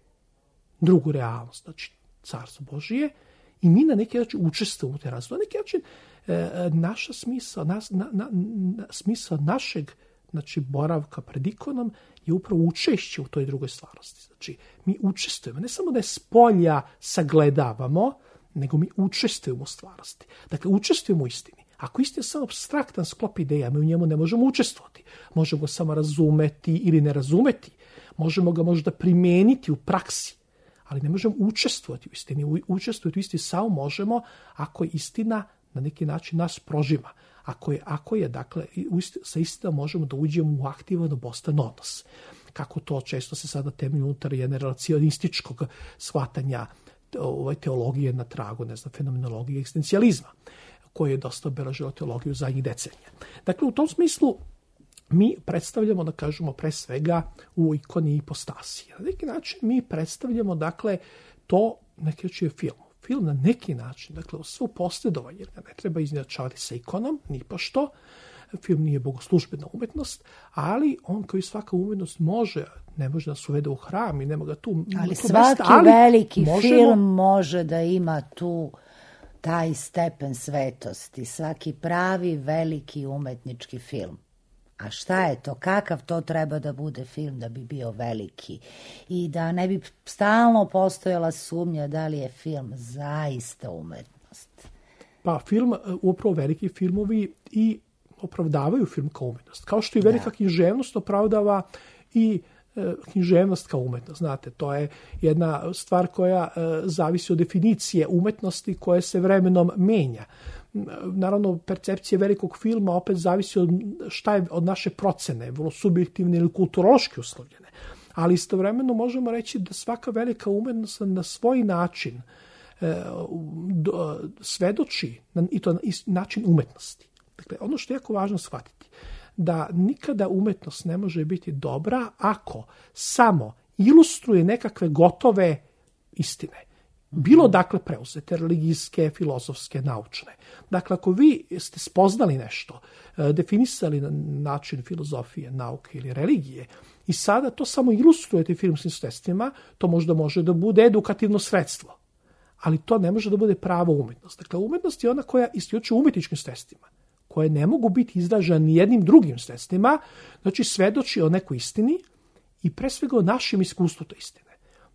drugu realnost, znači Carstvo Božije, i mi na neki način učestvujemo u te razvoju. Na neki način naša smisao našeg znači, boravka pred ikonom je upravo učešće u toj drugoj stvarnosti. Znači, mi učestvujemo, ne samo da je spolja sagledavamo, nego mi učestvujemo u stvarnosti. Dakle, učestvujemo u istini. Ako istina je samo apstraktan sklop ideja, mi u njemu ne možemo učestvovati. Možemo ga samo razumeti ili ne razumeti. Možemo ga možda primijeniti u praksi, ali ne možemo učestvovati u istini. Učestvovati u istini samo možemo ako je istina na neki način nas prožima. Ako je dakle, sa istinom možemo da uđemo u aktivan obostran odnos. Kako to često se sada temelji unutar jedne relacionističkog shvatanja teologije na tragu, fenomenologije egzistencijalizma, koje je dosta obeležilo teologiju zadnjih decenija. Dakle, u tom smislu mi predstavljamo, da kažemo, pre svega u ikoni ipostasi. Na neki način mi predstavljamo, dakle, to neki način je film. Film na neki način, dakle, svo posredovanje, jer ga ne treba izjednačavati sa ikonom, ni pošto. Film nije bogoslužbena umetnost, ali on kao i svaka umetnost ne može da se uvede u hram i nema ga tu. Ali svaki veliki film može da ima tu taj stepen svetosti, svaki pravi veliki umetnički film. A šta je to? Kakav to treba da bude film da bi bio veliki? I da ne bi stalno postojala sumnja da li je film zaista umetnost. Pa film, upravo veliki filmovi i opravdavaju film kao umetnost. Kao što i velika književnost opravdava i književnost kao umetnost. Znate, to je jedna stvar koja zavisi od definicije umetnosti koja se vremenom menja. Naravno, percepcija velikog filma opet zavisi od šta je od naše procene, vrlo subjektivne ili kulturološki uslovljene. Ali istovremeno možemo reći da svaka velika umetnost na svoj način svedoči, i to na način umetnosti. Dakle, ono što je jako važno shvatiti, da nikada umetnost ne može biti dobra ako samo ilustruje nekakve gotove istine. Bilo dakle preuzete, religijske, filozofske, naučne. Dakle, ako vi ste spoznali nešto, definisali na način filozofije, nauke ili religije i sada to samo ilustrujete filmskim sredstvima, to možda može da bude edukativno sredstvo. Ali to ne može da bude prava umetnost. Dakle, umetnost je ona koja isključuje umetničkim sredstvima, koje ne mogu biti izražene ni jednim drugim sredstvima, znači svedoči o nekoj istini i pre svega o našem iskustvu te istine.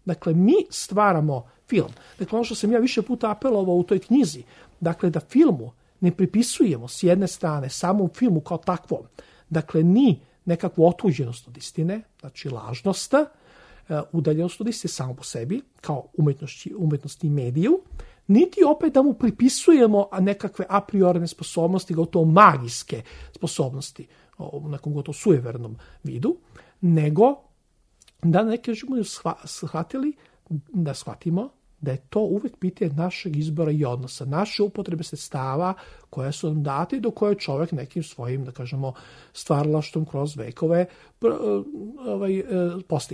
Dakle, mi stvaramo film. Dakle, ono što sam ja više puta apelovao u toj knjizi, dakle, da filmu ne pripisujemo s jedne strane samom filmu kao takvom, dakle, ni nekakvu otuđenost od istine, znači lažnost, udaljenost od istine samo po sebi, kao umetnosti i mediju, niti opet da mu pripisujemo nekakve a priorne sposobnosti, gotovo magijske sposobnosti u nekom gotovo sujevernom vidu, nego da neke živimo shvatimo da je to uvek pitanje našeg izbora i odnosa, naše upotrebe sredstava koje su nam date i do koje čovjek nekim svojim, da kažemo, stvaralaštvom kroz vekove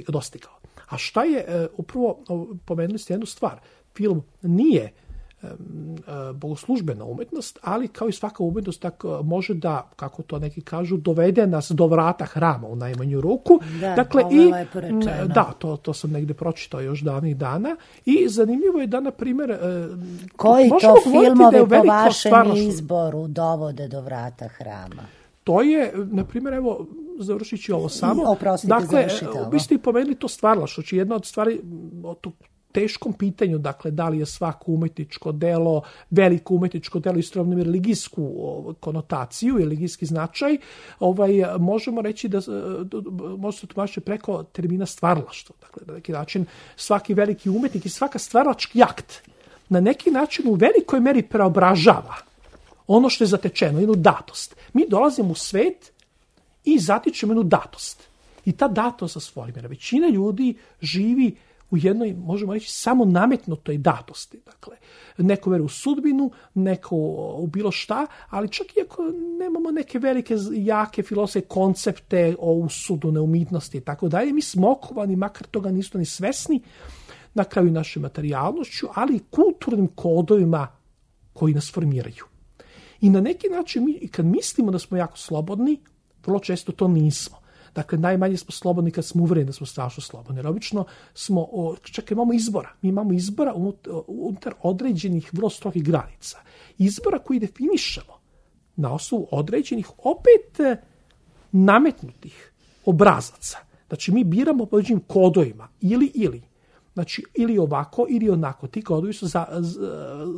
dostigao. A šta je, upravo pomenuli ste jednu stvar, film nije bogoslužbena umetnost, ali kao i svaka umetnost tako može da, kako to neki kažu, dovede nas do vrata hrama u najmanju ruku. Da, dakle, ovo je lepo rečeno. Da, to sam negde pročitao još davnih dana i zanimljivo je da, na primjer, koji to filmovi po vašem izboru dovode do vrata hrama? To je, na primjer, evo, završit ću ovo samo. Oprostite, završite ovo. Vi ste i pomenuli to stvaralaštvo, znači jedna od stvari teškom pitanju, dakle, da li je svako umetničko delo, veliko umetničko delo istovremeno religijsku konotaciju i religijski značaj, možemo reći da može se tumačiti preko termina stvaralaštvo. Dakle, na neki način svaki veliki umetnik i svaka stvaralački akt na neki način u velikoj meri preobražava ono što je zatečeno, jednu datost. Mi dolazimo u svet i zatičemo jednu datost. I ta datost se formira. Većina ljudi živi u jednoj, možemo reći, samo nametnutoj datosti. Dakle, neko veruje u sudbinu, neko u bilo šta, ali čak i ako nemamo neke velike, jake filozofske koncepte o usudu, neumitnosti i tako dalje, mi smo okovani, makar toga nisu ni svesni, na kraju našoj materijalnošću, ali i kulturnim kodovima koji nas formiraju. I na neki način, mi, kad mislimo da smo jako slobodni, vrlo često to nismo. Dakle, najmanje smo slobodni kad smo uvereni da smo strašno slobodni. Jer obično smo, čak imamo izbora. Mi imamo izbora unutar određenih vrlo strogih granica. Izbora koji definišemo na osnovu određenih, opet nametnutih obrazaca. Znači, mi biramo po određenim kodovima. Ili. Znači, ili ovako, ili onako. Ti kodovi su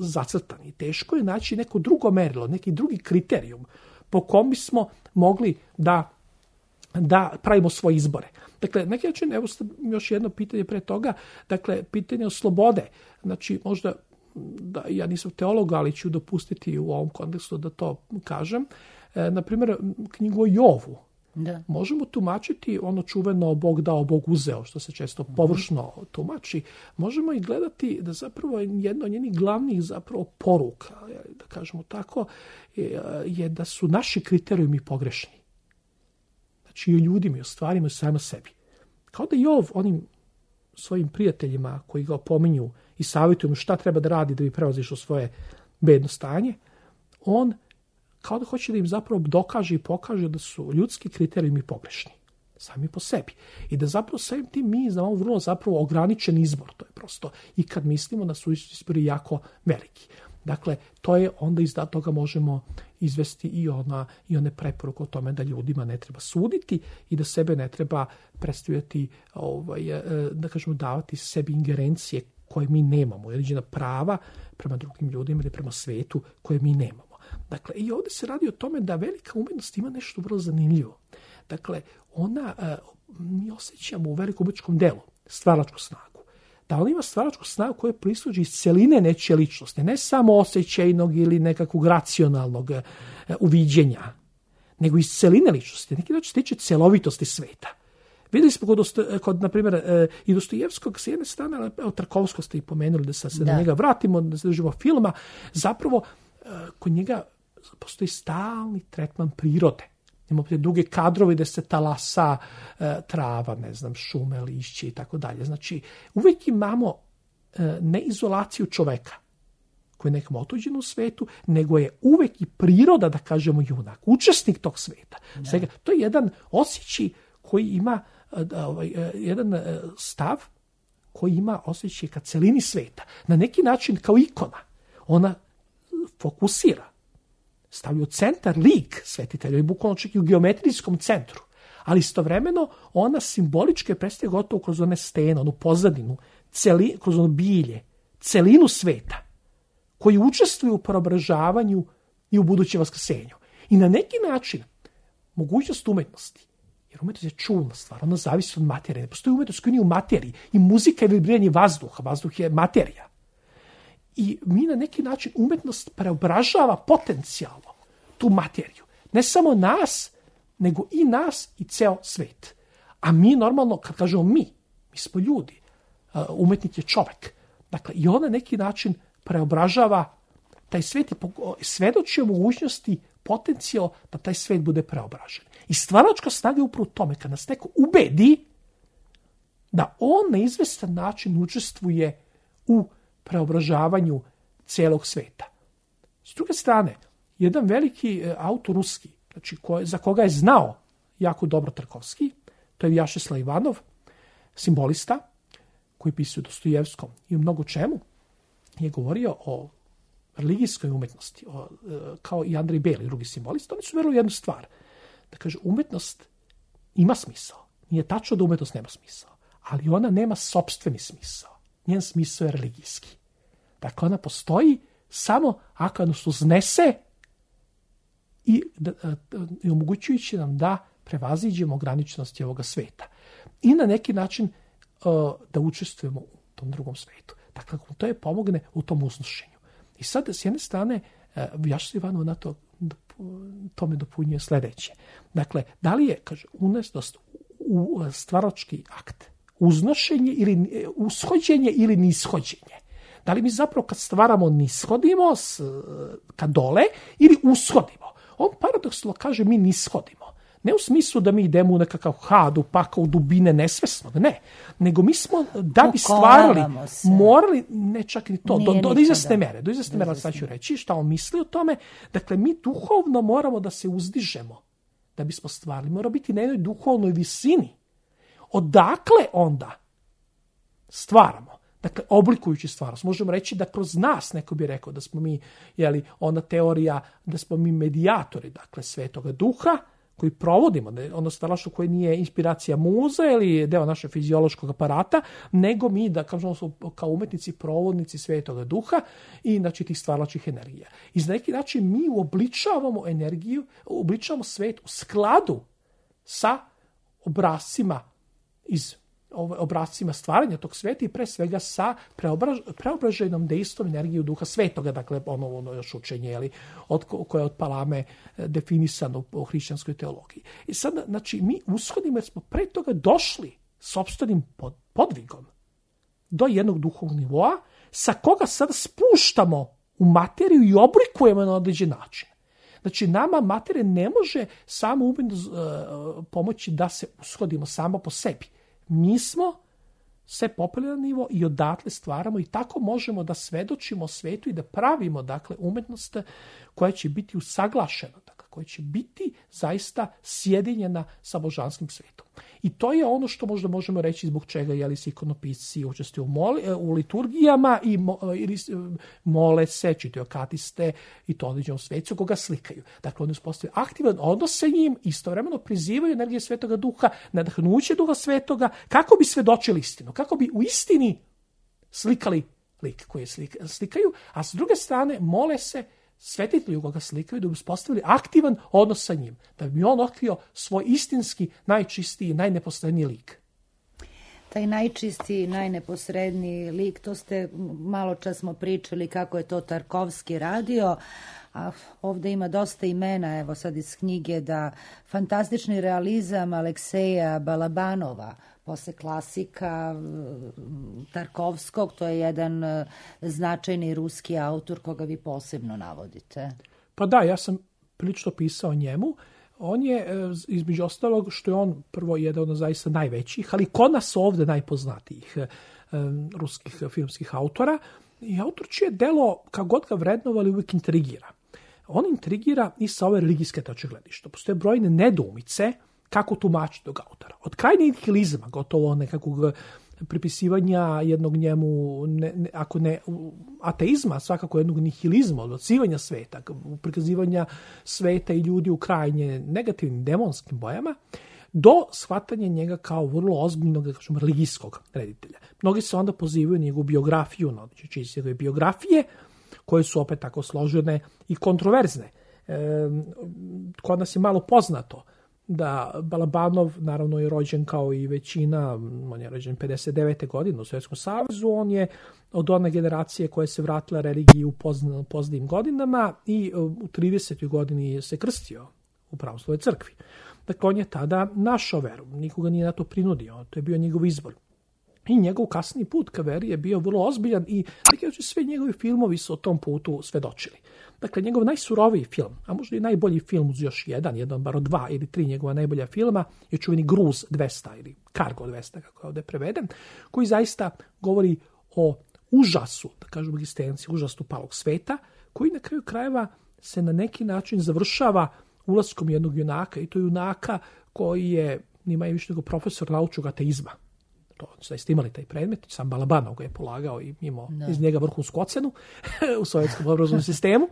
zacrtani. Teško je naći neko drugo merilo, neki drugi kriterijum po kom bismo mogli da pravimo svoje izbore. Dakle, neki način, evo još jedno pitanje pre toga, dakle, pitanje o slobode. Znači, možda, da ja nisam teolog, ali ću dopustiti u ovom kontekstu da to kažem. Naprimjer, knjigu o Jovu. Da. Možemo tumačiti ono čuveno Bog dao, Bog uzeo, što se često površno tumači. Možemo i gledati da zapravo jedna od njenih glavnih zapravo poruka, da kažemo tako, je da su naši kriterijumi pogrešni. Znači i o ljudima, i o stvarima, i samo sebi. Kao da Jov onim svojim prijateljima koji ga opominju i savjetuju mu šta treba da radi da bi prevazišao svoje bedno stanje, on kao da hoće da im zapravo dokaže i pokaže da su ljudski kriterijumi pogrešni, sami po sebi. I da zapravo samim tim mi znamo vrlo zapravo ograničen izbor. To je prosto i kad mislimo da su izbori jako veliki. Dakle, to je onda iz toga možemo izvesti i one preporuke o tome da ljudima ne treba suditi i da sebe ne treba predstavljati, da kažemo, davati sebi ingerencije koje mi nemamo, određena prava prema drugim ljudima ili prema svetu koje mi nemamo. Dakle, i ovdje se radi o tome da velika umetnost ima nešto vrlo zanimljivo. Dakle, mi osjećamo u velikom umetničkom delu stvaralačku snagu. Da ona ima stvaračku snagu koja proizlazi iz celine nečije ličnosti, ne samo osjećajnog ili nekakvog racionalnog uviđenja, nego iz celine ličnosti. Neki način se tiče celovitosti sveta. Vidjeli smo kod na primjer, i Dostojevskog s jedne strane, Tarkovskog ste i pomenuli, da se na njega vratimo, da se držimo filma, zapravo kod njega postoji stalni tretman prirode. Imamo te duge kadrove gde se talasa trava, ne znam, šume, lišće i tako dalje. Znači, uvijek imamo ne izolaciju čoveka koji je nekom otuđen u svetu, nego je uvijek i priroda, da kažemo, junak, učesnik tog sveta. Svega, to je jedan osjećaj koji ima jedan stav koji ima osjećaj ka celini sveta. Na neki način kao ikona. Ona fokusira, stavlja u centar lik svetitelja i bukvalno čak i u geometrijskom centru. Ali istovremeno ona simbolički predstavlja gotovo kroz one stene, onu pozadinu, kroz ono bilje, celinu sveta koji učestvuju u preobražavanju i u budućem vaskrsenju. I na neki način mogućnost umetnosti, jer umetnost je čulna stvar, ona zavisi od materije. Ne postoji umetnost koja nije u materiji. I muzika je vibriranje vazduha, vazduh je materija. I mi na neki način umetnost preobražava potencijalno tu materiju. Ne samo nas, nego i nas i ceo svet. A mi normalno, kad kažemo mi smo ljudi. Umetnik je čovek. Dakle, i on na neki način preobražava taj svet i svedoči o mogućnosti potencijal da taj svet bude preobražen. I stvaračka snaga je upravo u tome, kad nas neko ubedi da on na izvestan način učestvuje u preobražavanju celog sveta. S druge strane, jedan veliki autor ruski, znači za koga je znao jako dobro Tarkovski, to je Vjačeslav Ivanov, simbolista, koji pisuje Dostojevskom i u mnogo čemu, je govorio o religijskoj umetnosti, kao i Andrej Beli, drugi simbolista. Oni su verovali jednu stvar, da kaže, umetnost ima smisao. Nije tačno da umetnost nema smisao, ali ona nema sopstveni smisao. njen smisao je religijski. Dakle, ona postoji samo ako nas uznese i omogućujući nam da prevaziđemo ograničenosti ovoga sveta. I na neki način da učestvujemo u tom drugom svetu. Dakle, to je pomogne u tom uznošenju. I sad, s jedne strane, Jaša Ivanova na to me dopunjuje sledeće. Dakle, da li je, kaže, unesnost u stvarački akt uznošenje ili ushođenje ili nishođenje? Da li mi zapravo kad stvaramo nishodimo ka dole ili ushodimo? On paradoksalno kaže mi nishodimo. Ne u smislu da mi idemo u nekakav had, u pakao, u dubine nesvesnog, ne. Nego mi smo, da bi stvarali, morali, ne čak ni to, do izvesne mere. Do izvesne mere, sad ću reći šta on misli o tome. Dakle, mi duhovno moramo da se uzdižemo da bismo stvarali. Moramo biti na jednoj duhovnoj visini. Odakle onda stvaramo? Dakle, oblikujući stvarnost. Možemo reći da kroz nas, neko bi rekao da smo mi, ona teorija da smo mi medijatori, dakle, Svetoga Duha, koji provodimo, ono stvaralaštvo koje nije inspiracija muza ili deo našeg fiziološkog aparata, nego mi, da kažemo, kao umetnici, provodnici Svetoga Duha i znači tih stvaralačkih energija. I na neki način mi uobličavamo energiju, uobličavamo svet u skladu sa obrascima obrascima stvaranja tog sveta i pre svega sa preobraženom dejstvom energiju Duha Svetoga, dakle ono još učenje koje je od Palame definisano u hrišćanskoj teologiji. I sad, znači, mi ushodimo jer smo pre toga došli sopstvenim podvigom do jednog duhovnog nivoa sa koga sad spuštamo u materiju i oblikujemo na određen način. Znači, nama materija ne može samo umetno pomoći da se ushodimo samo po sebi. Mi smo se popeli na nivo i odatle stvaramo i tako možemo da svedočimo svetu i da pravimo, dakle, umetnost koja će biti usaglašena, dakle, koja će biti zaista sjedinjena sa božanskim svetom. I to je ono što možda možemo reći zbog čega se ikonopisci učestvuju u liturgijama i mole se, čitaju akatiste i to određenom svecu koga slikaju. Dakle, oni uspostavljaju aktivan odnos sa njim, istovremeno prizivaju energije Svetoga Duha, nadahnuće Duha Svetoga, kako bi svedočili istinu, kako bi u istini slikali lik koji slikaju, a s druge strane mole se svetitelju koga slikaju da bi uspostavili aktivan odnos sa njim, da bi on otkrio svoj istinski, najčistiji, najneposredniji lik. Taj najčistiji, najneposredniji lik, to ste malo čas smo pričali kako je to Tarkovski radio, a ovde ima dosta imena, evo sad iz knjige, da fantastični realizam Alekseja Balabanova, posle klasika Tarkovskog, to je jedan značajni ruski autor koga vi posebno navodite. Pa da, ja sam prilično pisao o njemu. On je, između ostalog, što je on prvo jedan od zaista najvećih, ali kod nas ovde najpoznatijih ruskih filmskih autora. I autor čije delo, kako god ga vrednovali, uvijek intrigira. On intrigira i sa ove religijske tačke gledišta. Postoje brojne nedoumice kako tumačiti tog autora. Od krajnjeg nihilizma, gotovo nekakvog pripisivanja jednog njemu, ako ne ateizma, svakako jednog nihilizma, odbacivanja sveta, prikazivanja sveta i ljudi u krajnje negativnim demonskim bojama, do shvatanja njega kao vrlo ozbiljnog, da kažem, religijskog reditelja. Mnogi se onda pozivaju njegovu biografiju, na njegove biografije, koje su opet tako složene i kontroverzne. Kod nas je malo poznato da Balabanov, naravno, je rođen kao i većina, on je rođen 59. godine u Sovjetskom savezu, on je od one generacije koja se vratila religiji u poznijim godinama i u 30. godini se krstio u pravoslavnoj crkvi. Dakle, on je tada našao veru, nikoga nije na to prinudio, to je bio njegov izbor. I njegov kasni put ka veri je bio vrlo ozbiljan i sve njegovi filmovi su o tom putu svedočili. Dakle, njegov najsuroviji film, a možda i najbolji film uz još jedan bar od 2 ili 3 njegova najbolja filma, je čuveni Gruz 200 ili Cargo 200, kako je ovde preveden, koji zaista govori o užasu, da kažem egzistenciji, užasu palog sveta, koji na kraju krajeva se na neki način završava ulaskom jednog junaka, i to junaka koji je ni manje više nego profesor naučnog ateizma. To zaista imali taj predmet, sam Balabanov ga je polagao i imao iz njega vrhunsku ocenu u sovjetskom obrazovnom sistemu.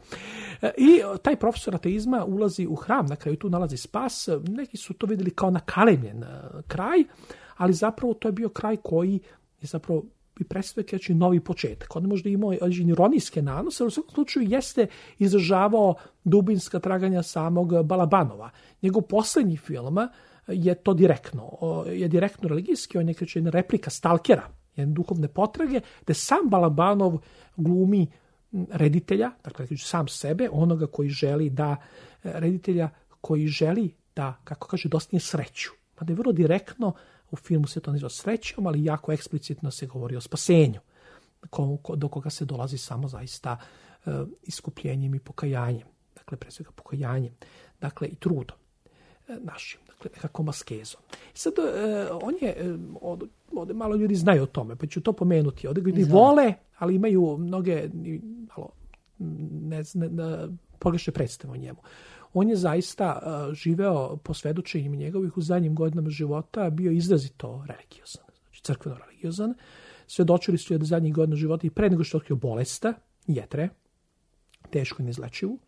I taj profesor ateizma ulazi u hram, na kraju tu nalazi spas. Neki su to vidjeli kao nakalemljen kraj, ali zapravo to je bio kraj koji je zapravo bi predstavljao znači novi početak. On možda imao ironijske nanose, ali u svakom slučaju jeste izražavao dubinska traganja samog Balabanova. Njegov poslednji film je to direktno religijski, on je kao jedna replika Stalkera, jedne duhovne potrage, gde sam Balabanov glumi reditelja, dakle sam sebe, onoga koji želi da, reditelja koji želi da, kako kaže, dostigne sreću. Mada je vrlo direktno, u filmu se to naziva srećom, ali jako eksplicitno se govori o spasenju, do koga se dolazi samo zaista iskupljenjem i pokajanjem. Dakle, pre svega pokajanjem. Dakle, i trudom našim, dakle, nekakvom askezom. Sad, on je, ovde malo ljudi znaju o tome, pa ću to pomenuti. Ovde ljudi vole, ali imaju mnoge, malo, pogrešne predstave o njemu. On je zaista živeo po svedočenjima njegovih u zadnjim godinama života, bio izrazito religiozan, znači crkveno religiozan. Svedočili su je do zadnjih godina života i pre nego što je otkrio bolest, jetre, teško i neizlečivu,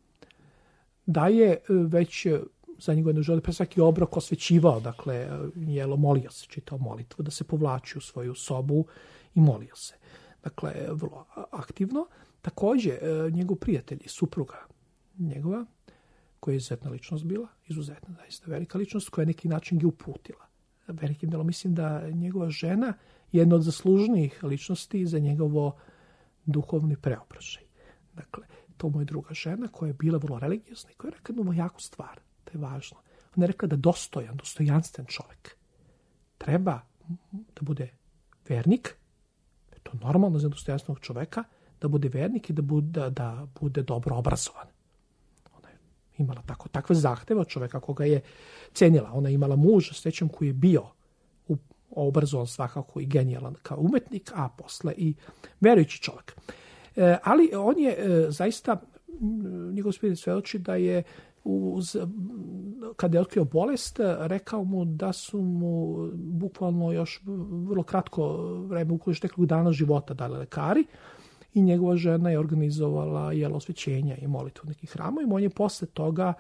da je već zadnjih godina života pre svaki obrok osvećivao, dakle, molio se, čitao molitvu, da se povlači u svoju sobu i molio se. Dakle, vrlo aktivno. Takođe, njegov prijatelj i supruga njegova, koja je izuzetna ličnost bila, izuzetna, zaista velika ličnost, koja je neki način ga uputila. Velikim delom mislim da njegova žena je jedna od zaslužnijih ličnosti za njegovo duhovni preobražaj. Dakle, to mu je druga žena koja je bila vrlo religiozna i koja je rekla jednu jaku stvar, to je važno. Ona je rekla da dostojanstven čovjek treba da bude vernik, to je normalno za dostojanstvenog čovjeka, da bude vernik i da bude dobro obrazovan. Imala takve zahteve od čoveka koga je cenila. Ona je imala muža s većem koji je bio obrazovan svakako i genijalan kao umetnik, a posle i verujući čovjek. Ali on je zaista, njegov spirit svedoči da je kada je otkrio bolest, rekao mu da su mu bukvalno još vrlo kratko vreme, ukoliko još nekoliko dana života dali lekari, i njegova žena je organizovala osvećenja i molitvu u nekih hramovima. On je posle toga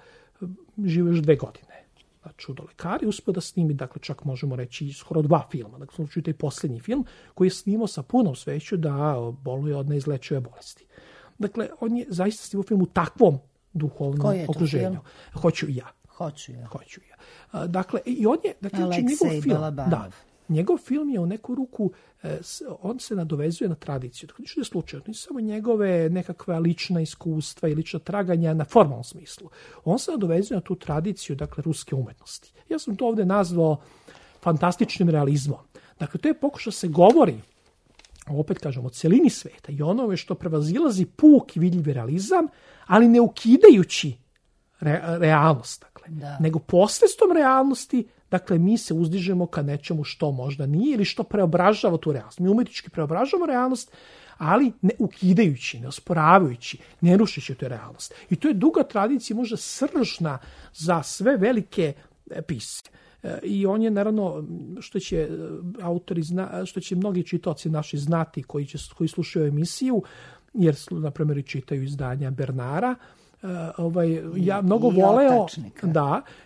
živio još 2 godine. Znači, do lekari uspio da snimi, dakle, čak možemo reći skoro 2 filma. Dakle, slučaju taj posljednji film koji je snimao sa punom sveću da boluje od neizlečive bolesti. Dakle, on je zaista snimao film u takvom duhovnom okruženju. Hoću i ja. Dakle, i on je, dakle, njegov film. Da. Njegov film je u neku ruku, on se nadovezuje na tradiciju. Dakle, ništa je slučajno, nisu samo njegove nekakva lična iskustva i lična traganja na formalnom smislu. On se nadovezuje na tu tradiciju, dakle, ruske umetnosti. Ja sam to ovde nazvao fantastičnim realizmom. Dakle, to je pokušao se govori, opet kažem, o celini sveta i onome što prevazilazi puk i vidljivi realizam, ali ne ukidajući realnost, dakle, nego posredstvom realnosti. Dakle, mi se uzdižemo ka nečemu što možda nije ili što preobražava tu realnost. Mi umetnički preobražavamo realnost, ali ne ukidajući, ne osporavajući, ne rušići tu realnost. I to je duga tradicija, možda sržna za sve velike pisce. I on je, naravno, što će mnogi čitaoci naši znati koji slušaju emisiju, jer, na primjer, čitaju izdanja Bernara, mnogo voleo,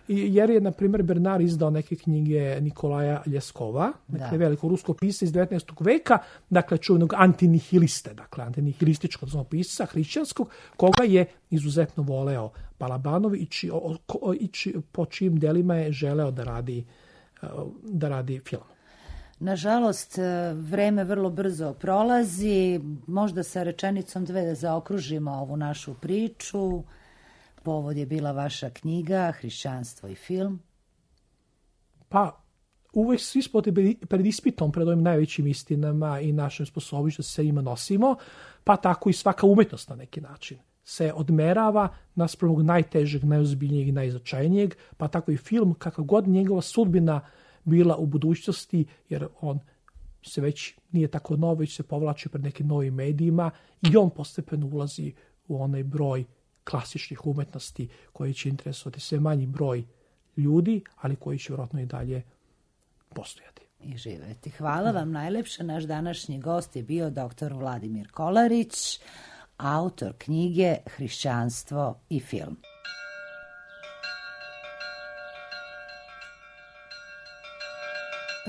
jer je, na primjer, Bernard izdao neke knjige Nikolaja Ljeskova, dakle, veliko rusko pisca iz 19. veka, dakle, čuvenog antinihiliste, dakle, antinihilističkog pisca, hrišćanskog, koga je izuzetno voleo Balabanov i po čijim delima je želeo da radi film. Nažalost, vreme vrlo brzo prolazi, možda sa rečenicom 2 da zaokružimo ovu našu priču. Povod je bila vaša knjiga Hrišćanstvo i film. Pa, uvek svi smo pred ispitom, pred ovim najvećim istinama i našim sposobnošću da se ima nosimo, pa tako i svaka umetnost na neki način se odmerava naspram ovog najtežeg, najozbiljnijeg i najznačajnijeg, pa tako i film, kakav god njegova sudbina bila u budućnosti, jer on se već nije tako nov, već se povlači pred nekim novim medijima i on postepeno ulazi u onaj broj klasičnih umetnosti koji će interesovati sve manji broj ljudi, ali koji će vjerojatno i dalje postojati. I živeti. Hvala vam najlepše. Naš današnji gost je bio dr. Vladimir Kolarić, autor knjige Hrišćanstvo i film.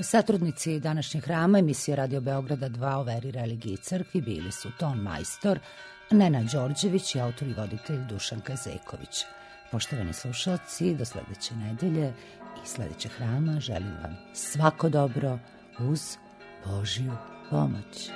Satrudnici današnjeg hrama emisije Radio Beograda 2 o veri, religiji i crkvi bili su ton majstor Nenad Đorđević i autor i voditelj Dušan Kazeković. Poštovani slušalci, do sledeće nedelje i sledećeg hrama želim vam svako dobro uz Božju pomoć.